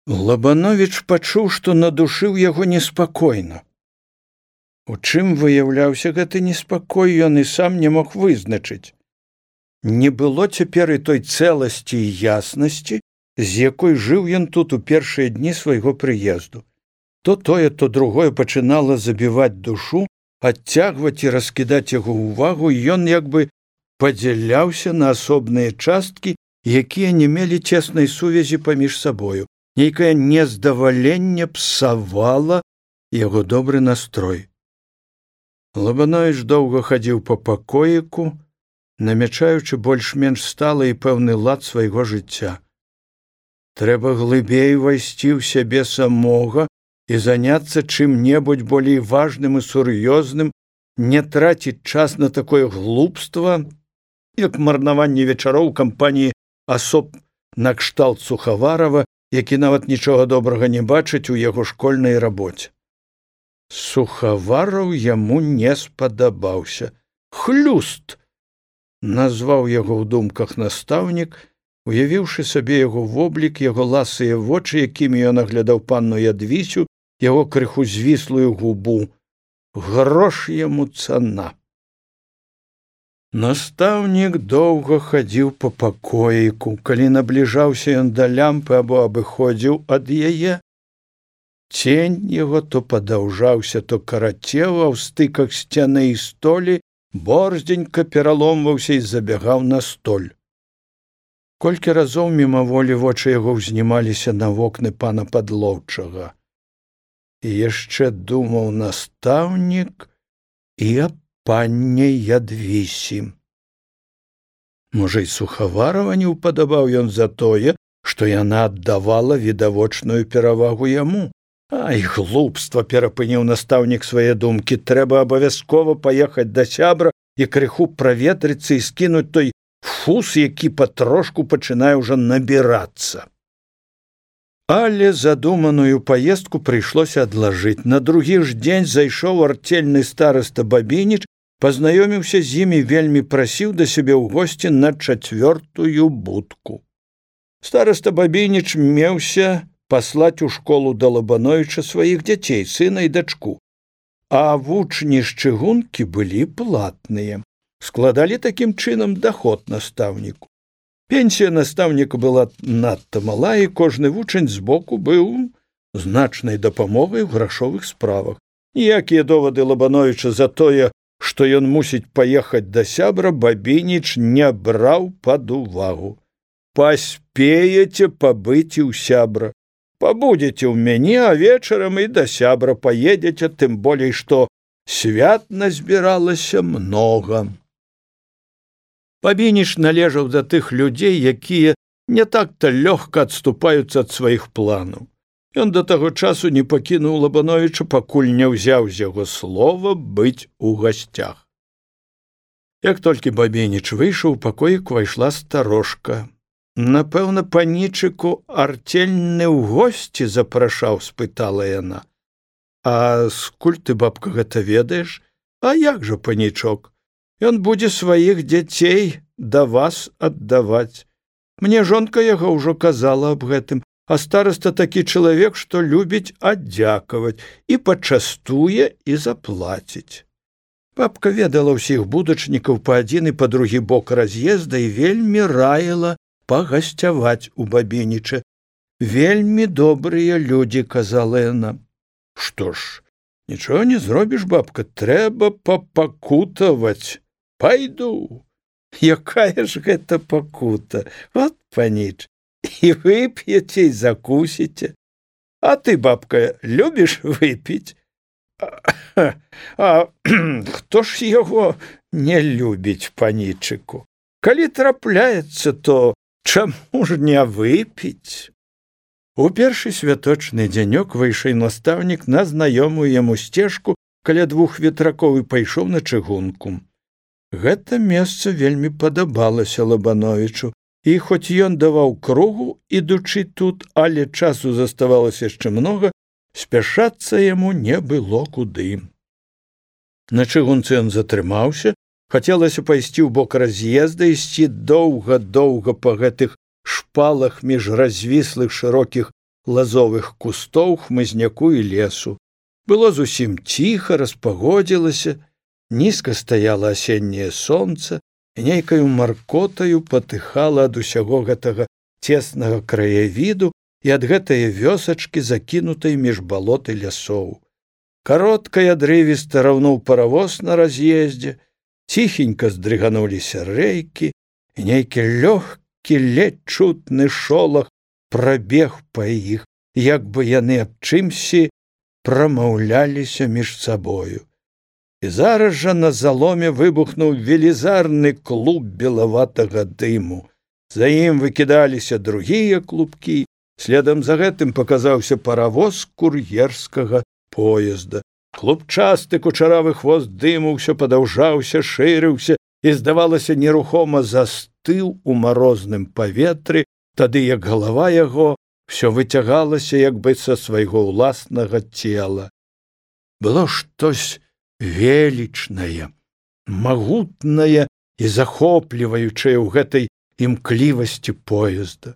Лабановіч пачуў, што на душы ў яго неспакойна. У чым выяўляўся гэты неспакой, ён і сам не мог вызначыць. Не было цяпер і той цэласці і яснасці, з якой жыў ён тут у першыя дні свайго прыезду. То тое, то другое пачынала забіваць душу, адцягваць і раскідаць яго ўвагу, і ён як бы падзяляўся на асобныя часткі, якія не мелі цеснай сувязі паміж сабою. Нейкае нездаваленне псавала яго добры настрой. Лабановіч доўга хадзіў па пакоіку, намячаючы больш-менш сталы і пэўны лад свайго жыцця. Трэба глыбей увайсці ў сябе самога і заняцца чым-небудзь болей важным і сур'ёзным, не траціць час на такое глупства, як марнаванне вечароў у кампаніі асоб накшталт Сухаварова, які нават нічога добрага не бачыць у яго школьнай рабоце. Сухавараў яму не спадабаўся. «Хлюст!» назваў яго ў думках настаўнік, уявіўшы сабе яго воблік, яго ласыя вочы, якімі ён аглядаў панну Ядвісю, яго крыху звіслую губу. Грош яму цана. Настаўнік доўга хадзіў па пакоіку. Калі набліжаўся ён да лямпы або абыходзіў ад яе, цень яго то падаўжаўся, то карацеў, а ў стыках сцяны і столі борздзенька пераломваўся і забягаў на столь. Колькі разоў мімаволі вочы яго ўзнімаліся на вокны пана Падлоўчага. І яшчэ думаў настаўнік і аб панне Ядвісі. Можа, і Сухаварова не ўпадабаў ён за тое, што яна аддавала відавочную перавагу яму. Ай, глупства, перапыніў настаўнік свае думкі. Трэба абавязкова паехаць да сябра і крыху праветрыцца і скінуць той фус, які патрошку пачынае ўжо набірацца. Але задуманую паездку прыйшлося адлажыць. На другі ж дзень зайшоў артельны стараста Бабініч, пазнаёміўся з імі, вельмі прасіў да сябе ў госці на 4-ю будку. Стараста Бабініч меўся паслаць у школу да Лабановіча сваіх дзяцей, сына і дачку. А вучні з чыгункі былі платныя. Складалі такім чынам даход настаўніку. Пенсія настаўніка была надта мала, і кожны вучань збоку быў значнай дапамогай у грашовых справах. Ніякія довады Лабановіча за тое, што ён мусіць паехаць да сябра, Бабініч не браў пад увагу. «Паспееце пабыць і ў сябра. Пабудзеце ў мяне, а вечарам і да сябра паедзеце, тым болей, што свят назбіралася многа». Бабініч належаў да тых людзей, якія не так-то лёгка адступаюцца ад сваіх планаў. Ён да таго часу не пакінуў Лабановіча, пакуль не ўзяў з яго слова быць у гасцях. Як толькі Бабініч выйшаў, у пакоік увайшла старожка. «Напэўна, панічыку артельны ў госці запрашаў?» – спытала яна. «А скуль ты, бабка, гэта ведаеш? А як жа панічок? Ён будзе сваіх дзяцей да вас аддаваць. Мне жонка яго ўжо казала аб гэтым, а стараста такі чалавек, што любіць аддзякаваць і пачастуе і заплаціць». Бабка ведала ўсіх будачнікаў па адзін і па другі бок раз'езда і вельмі раіла пагасцяваць у Бабініча. «Вельмі добрыя людзі», – казала яна. «Што ж, нічога не зробіш, бабка, трэба папакутаваць. Пайду». «Якая ж гэта пакута? От паніч, і вып'еце, і закусіце. А ты, бабка, любіш выпіць?» «А хто ж яго не любіць, панічыку? Калі трапляецца, то чаму ж не выпіць?» У першы святочны дзянёк выйшаў настаўнік на знаёмую яму сцежку каля 2 ветракоў і пайшоў на чыгунку. Гэта месца вельмі падабалася Лабановічу, і хоць ён даваў кругу, ідучы тут, але часу заставалася яшчэ многа, спяшацца яму не было куды. На чыгунцы ён затрымаўся, хацелася пайсці ў бок раз'езда, ісці доўга-доўга па гэтых шпалах між развіслых шырокіх лазовых кустоў, хмызняку і лесу. Было зусім ціха, распагодзілася, нізка стаяла асенняе сонца, і нейкаю маркотаю патыхала ад усяго гэтага цеснага краявіду і ад гэтае вёсачкі, закінутай між балот і лясоў. Каротка і адрывіста раўнуў паравоз на раз'ездзе, ціхенька здрыгануліся рэйкі, і нейкі лёгкі, ледзь чутны шолах прабег па іх, як бы яны аб чымсьці прамаўляліся між сабою. І зараз жа на заломе выбухнуў велізарны клуб белаватага дыму. За ім выкідаліся другія клубкі, следам за гэтым паказаўся паравоз кур'ерскага поезда. Клубчасты кучаравы хвост дыму ўсё падаўжаўся, шырыўся і, здавалася, нерухома застыў у марозным паветры, тады як галава яго всё выцягалася як бы са свайго ўласнага цела. Было штось велічнае, магутнае і захопліваючае ў гэтай імклівасці поезда.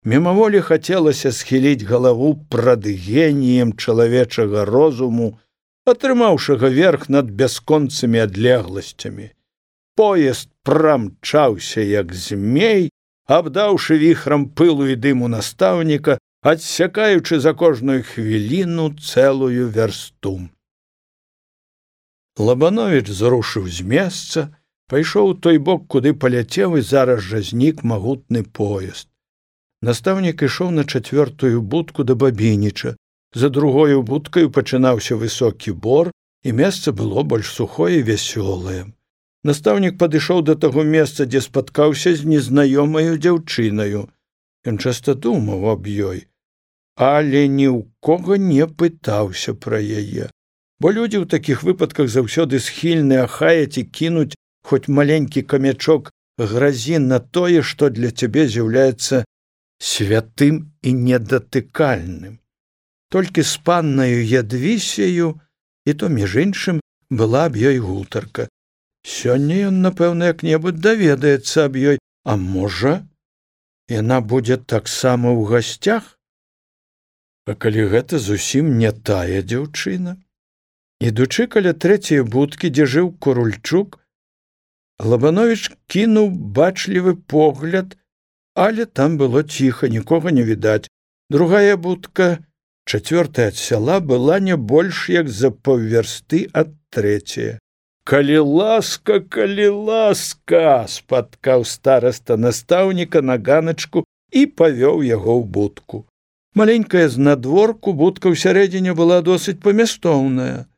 Мімаволі хацелася схіліць галаву прад геніем чалавечага розуму, атрымаўшага верх над бясконцымі адлегласцямі. Поезд прамчаўся, як змей, абдаўшы віхрам пылу і дыму настаўніка, адсякаючы за кожную хвіліну цэлую вярсту. Лабановіч зрушыў з месца, пайшоў у той бок, куды паляцеў, і зараз жа знік магутны поезд. Настаўнік ішоў на 4-ю будку да Бабініча. За другою будкаю пачынаўся высокі бор, і месца было больш сухое і вясёлае. Настаўнік падышоў да таго месца, дзе спаткаўся з незнаёмаю дзяўчынаю. Ён часта думаў аб ёй, але ні ў кога не пытаўся пра яе. Бо людзі ў такіх выпадках заўсёды схільны ахаяць і кінуць хоць маленькі камячок гразі на тое, што для цябе з'яўляецца святым і недатыкальным. Толькі з паннаю Ядвісею, і то, між іншым, была аб ёй гутарка. Сёння ён, напэўна, як-небудзь даведаецца аб ёй, а можа, яна будзе таксама ў гасцях? А калі гэта зусім не тая дзяўчына? Ідучы каля 3-й будкі, дзе жыў Курульчук, Лабановіч кінуў бачлівы погляд, але там было ціха, нікога не відаць. Другая будка, 4-я ад сяла, была не больш як за паўвярсты ад 3-й. «Калі ласка, спаткаў стараста настаўніка на ганачку і павёў яго ў будку. Маленькая знадворку будка ўсярэдзіне была досыць памястоўная.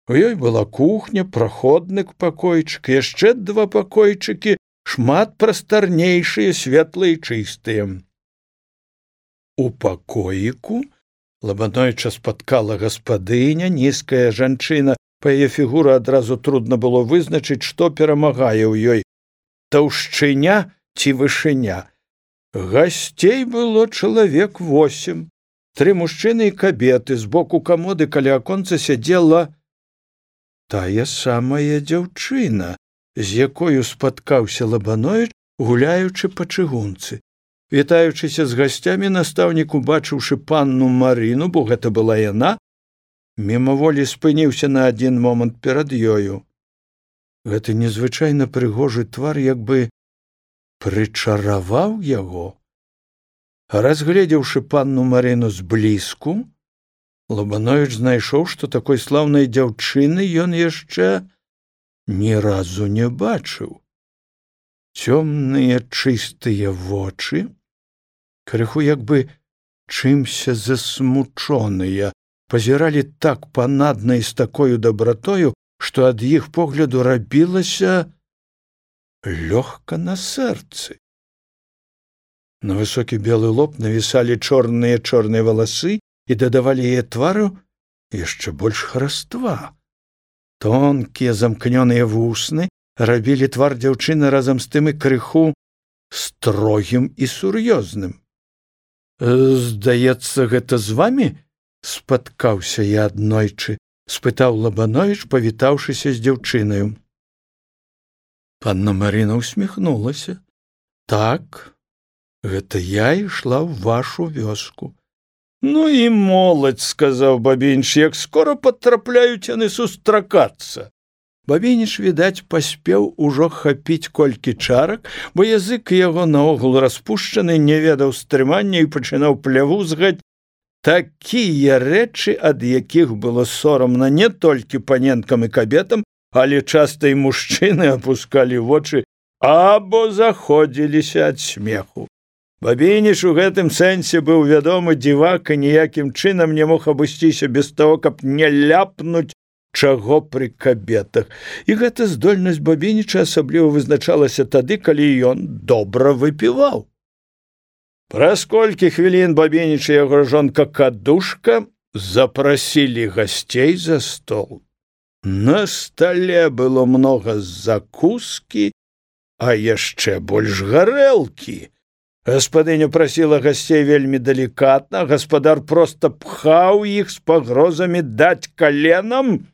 У ёй была кухня, праходны пакойчык, яшчэ 2 пакойчыкі, шмат прастарнейшыя, светлыя і чыстыя. У пакоіку Лабановіча спаткала гаспадыня, нізкая жанчына. Па яе фігуры адразу трудна было вызначыць, што перамагае ў ёй – таўшчыня ці вышыня. Гасцей было чалавек 8. 3 мужчыны і кабеты. Збоку камоды каля аконца сядзела тая самая дзяўчына, з якою спаткаўся Лабановіч, гуляючы па чыгунцы. Вітаючыся з гасцямі, настаўнік, убачыўшы панну Марыну, бо гэта была яна, мімаволі спыніўся на адзін момант перад ёю. Гэты незвычайна прыгожы твар як бы прычараваў яго. Разгледзеўшы панну Марыну зблізку, Лабановіч знайшоў, што такой слаўнай дзяўчыны ён яшчэ ні разу не бачыў. Цёмныя чыстыя вочы, крыху як бы чымся засмучоныя, пазіралі так панадна і з такою дабратою, што ад іх погляду рабілася лёгка на сэрцы. На высокі белы лоб навісалі чорныя валасы і дадавалі яе твару яшчэ больш хараства. Тонкія замкнёныя вусны рабілі твар дзяўчыны разам з тым і крыху строгім і сур'ёзным. «Здаецца, гэта з вамі?» спаткаўся я аднойчы, спытаў Лабановіч, павітаўшыся з дзяўчынаю. Панна Марына усміхнулася. «Так, гэта я ішла ў вашу вёску. Ну і моладзь, сказаў Бабініч, як скора падтрапляюць яны сустракацца. Бабініч, відаць, паспеў ужо хапіць колькі чарак, бо язык яго наогул распушчаны, не ведаў стрымання і пачынаў плявузгаць такія рэчы, ад якіх было сорамна не толькі паненкам і кабетам, але часта і мужчыны апускалі вочы або заходзіліся ад смеху. Бабініч у гэтым сэнсе быў вядомы дзівак і ніякім чынам не мог абысціся без таго, каб не ляпнуць чаго пры кабетах. І гэта здольнасць Бабініча асабліва вызначалася тады, калі ён добра выпіваў. Праз колькі хвілін Бабініч і яго жонка Кадушка запрасілі гасцей за стол. На стале было многа закускі, а яшчэ больш гарэлкі. Гаспадыня прасіла гасцей вельмі далікатна, гаспадар проста пхаў іх з пагрозамі даць каленам,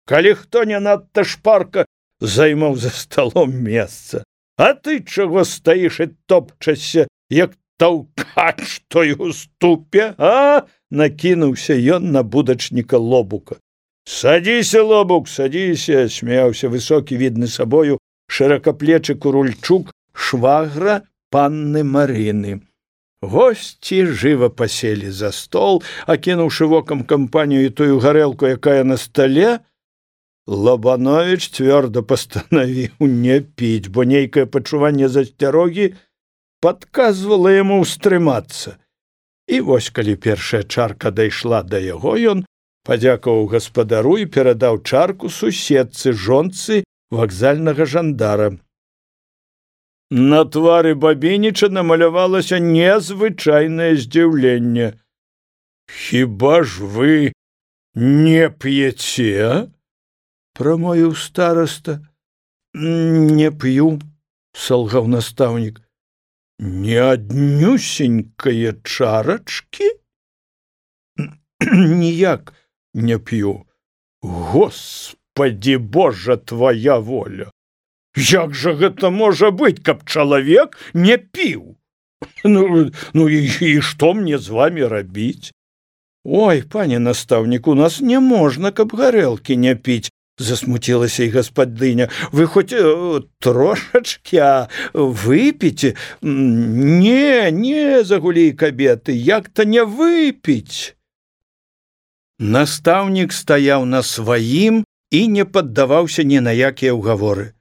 калі хто не надта шпарка займаў за сталом месца. А ты чаго стаіш і топчашся, як таўкач той у ступе, а? Накінуўся ён на будачніка Лобука. Садзіся, Лобук, садзіся, смяяўся высокі, відны сабою, шыракаплечы Курульчук, швагра панны Марыны. Госці жыва паселі за стол, акінуўшы вокам кампанію і тую гарэлку, якая на стале, Лабановіч цвёрда пастанавіў не піць, бо нейкае пачуванне засцярогі падказвала яму ўстрымацца. І вось, калі першая чарка дайшла да яго, ён падзякаваў гаспадару і перадаў чарку суседцы, жонцы вакзальнага жандара. На твары Бабініча намалявалася незвычайнае здзіўленне. «Хіба ж вы не п'еце?» – прамовіў стараста. «Не п'ю», – салгаў настаўнік. «Не аднюсенькае чарачкі?» «Ніяк не п'ю». «Господі Божа, твоя воля! Як жа гэта можа быць, каб чалавек не піў? Ну і што мне з вамі рабіць?» «Ой, пане настаўнік, у нас не можна, каб гарэлкі не піць», – засмуцілася і гаспадыня. «Вы хоць трошачкі, а выпіце?» Не, загулі кабеты, як-то не выпіць». Настаўнік стаяў на сваім і не паддаваўся ні на якія ўгаворы.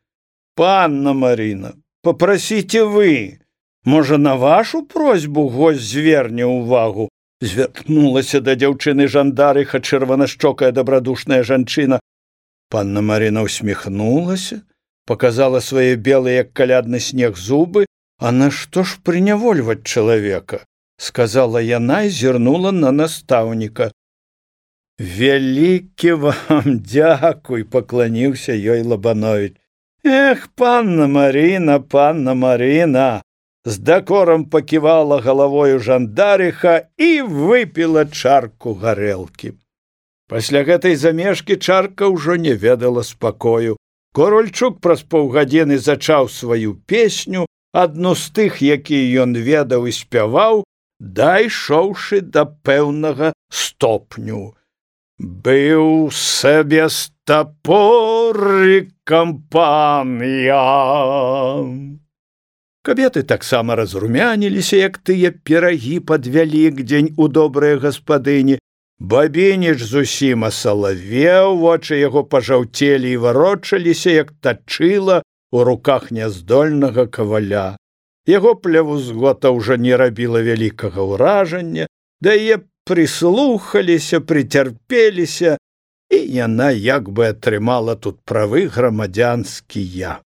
«Панна Марына, попросите вы. Можа, на вашу просьбу гость зверне ўвагу?» Звярнулася да дзяўчыны жандарыха чырванашчокая дабрадушная жанчына. Панна Марына усміхнулася, показала свае белыя, як калядны снег, зубы. «А нашто ж прынявольваць чалавека?» – сказала яна і зірнула на настаўніка. «Вялікі вам дзякуй», – пакланіўся ёй Лабановіч. «Эх, панна Марына, з дакорам паківала галавою жандарыха і выпіла чарку гарэлкі». Пасля гэтай замешкі чарка ўжо не ведала спакою. Курульчук праз паўгадзіны зачаў сваю песню, адну з тых, якія ён ведаў і спяваў, дайшоўшы да пэўнага стопню. «Быў сабе стапорыкам пан я». Кабеты таксама разрумяніліся, як тыя пірагі пад Вялікдзень у добрыя гаспадыні. Бабініч зусім асалавеў, вочы яго пажаўцелі і варочаліся, як тачыла у руках няздольнага каваля. Яго плявузгота ўжо не рабіла вялікага ўражання, да яе прыслухаліся, прыцярпеліся, і яна як бы атрымала тут правы грамадзянскія.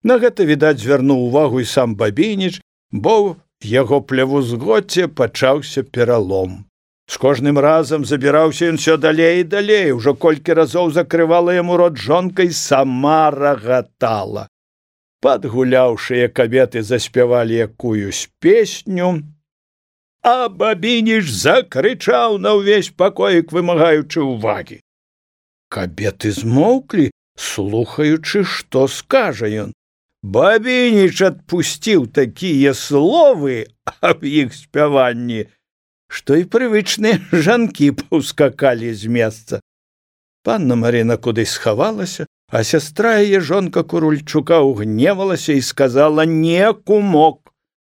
На гэта, відаць, звярнуў увагу і сам Бабініч, бо в яго плявузгоце пачаўся пералом. З кожным разам забіраўся ён усё далей і далей, ужо колькі разоў закрывала яму рот жонка і сама рагатала. Падгуляўшыя кабеты заспявалі якуюсь песню, а Бабініч закрычаў на ўвесь пакоік, вымагаючы ўвагі. Кабеты змоўклі, слухаючы, што скажа ён. Бабініч адпусціў такія словы аб іх спяванні, што і прывычныя жанкі паўскакалі з месца. Панна Марына кудысь схавалася, а сястра яе, жонка Курульчука, угневалася і сказала: «Не, кумок,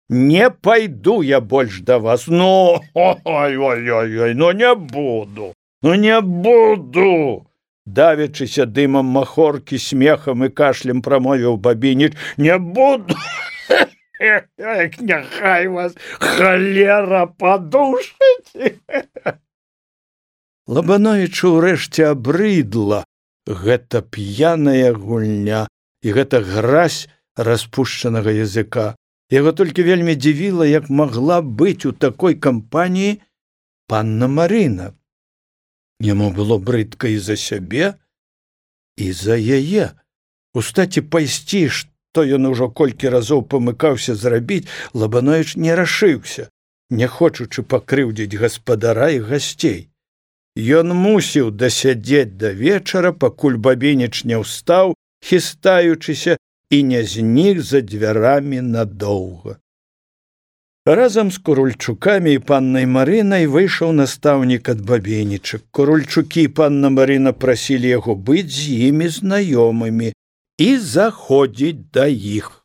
не пайду я больш да вас. Ну, ой-ой-ой, ну не буду, ну не буду!» Давячыся дымам махоркі, смехам і кашлем прамовіў Бабініч: «Не буду! Няхай вас халера падушыць!» Лабановічу ўрэшце абрыдла гэта п'яная гульня і гэта гразь распушчанага языка. Яго толькі вельмі дзівіла, як магла быць у такой кампаніі панна Марына. Яму было брыдка і за сябе, і за яе. Устаць і пайсці, што ён ужо колькі разоў памыкаўся зрабіць, Лабановіч не рашыўся, не хочучы пакрыўдзіць гаспадара і гасцей. Ён мусіў дасядзець да вечара, пакуль Бабініч не ўстаў, хістаючыся, і не знік за дзвярамі надоўга. Разам з Курульчукамі і паннай Марынай выйшаў настаўнік ад Бабініча. Курульчукі і панна Марына прасілі яго быць з імі знаёмымі і заходзіць да іх.